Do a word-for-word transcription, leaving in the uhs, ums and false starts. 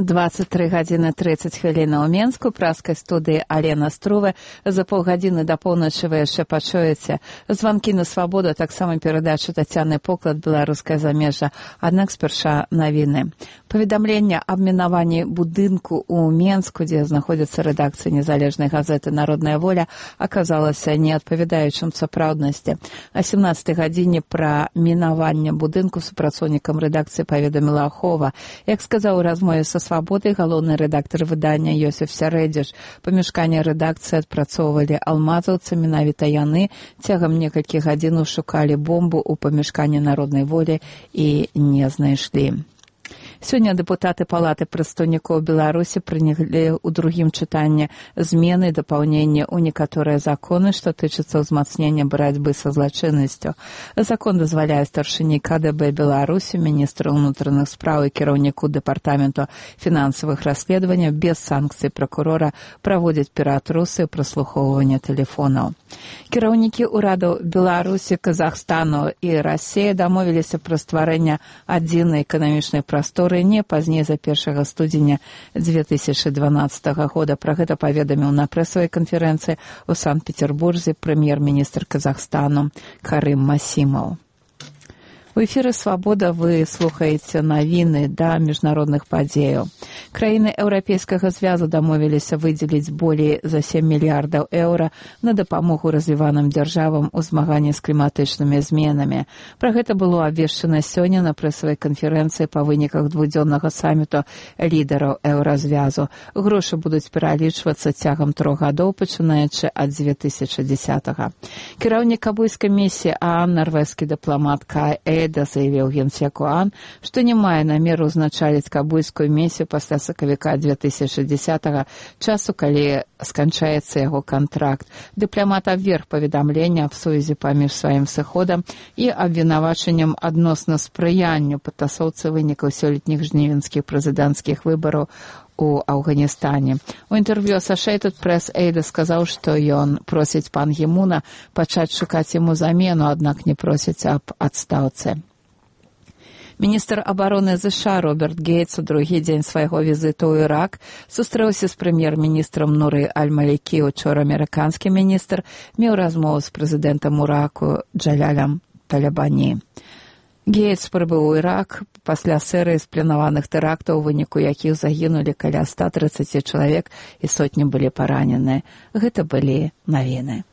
двадцать три гадзіны тридцать хвілін у Менску, праскай студыі Алена Струве. За паўгадзіны да поўначы вы яшчэ пачуеце званкі на свабоду, таксама перадачу Тацяны Поклад, беларускае замежжа. Аднак спярша навіны. Паведамленне аб мінаванні будынку ў Менску, дзе знаходзіцца рэдакцыя незалежнай газеты «Народная воля», аказалася не адпавядаючым сапраўднасці. О сямнадцатай гадзіне пра мінаванне будынку супрацоўнікам рэдакцыі паведаміла Ахова. Як сказаў у размове са «Свабодай» галоўны рэдактар выдання Йосиф Сярэдзіш, памяшканне рэдакцыі адпрацоўвалі алмазаўцы, менавіта яны цягам некалькіх гадзінаў шукалі бомбу ў памяшканні «Народнай волі» і не знайшлі. Сёння дэпутаты Палаты прадстаўнікоў Беларусі прынялі ў другім чытанні змены і дапаўненні ў некаторыя законы, што тычацца ўзмацнення барацьбы са злачыннасцю. Закон дазваляе старшыні ка дэ бэ Беларусі, міністру ўнутраных спраў і кіраўніку дэпартаменту фінансавых расследаванняў без санкцый пракурора праводзіць пераатрусы і праслухоўванне тэлефонаў. Кіраўнікі ўрадаў Беларусі, Казахстану і Расіі дамовіліся пра стварэнне адзінай эканамічнай прасторы не пазней за першага студзеня дзве тысячы дванаццатага года. Пра гэта паведаміў на прэсавай канферэнцыі ў Санкт-Петербурзе прэм'ер-міністр Казахстану Карым Масімаў. У эфіры «Свабода» вы слухаеце навіны да міжнародных падзеяў. Краіны Еўрапейскага звязу дамовіліся выдзеліць болей за сем мільярдаў еўра на дапамогу развіваным дзяржавам у змаганні з кліматычнымі зменамі. Пра гэта было абвешчана сёння на прэсавай канферэнцыі па выніках двухдзённага саміту лідараў еўразвязу. Грошы будуць пералічвацца цягам трох гадоў, пачынаючы ад дзве тысячы дзесятага. Кіраўнік кабульскай місіі ААН, нарвежскі дыпламат Кай Эйда заявіў генсеку ААН, што не мае намеру ўзначаліць кабульскую місію пасля сакавіка дзве тысячы дзесятага, часу, калі сканчаецца яго кантракт. Дыпламат абверг паведамленне аб сувязі паміж сваім сыходам і абвінавачаннем адносна спрыянню падтасоўцы вынікаў сёлетніх жнівеньскіх прэзідэнцкіх выбараў у Афганістане. У інтэрв'ю Associated Press Эйда сказаў, што ён просіць пан Гімуна пачаць шукаць яму замену, аднак не просіць аб адстаўцы. Міністр абароны ЗША Роберт Гейтс у другі дзень свайго візіту ў Ірак сустрэўся з прэм'ер-міністрам Нуры Аль-Малікі. Учора амерыканскі міністр меў размову з прэзідэнтам Іраку Джалялем Талябані. Гейтс прыбыў у Ірак пасля серыі спланаваных тэрактаў, у выніку якіх загінулі каля ста трыццаці чалавек і сотні былі параненыя. Гэта былі навіны.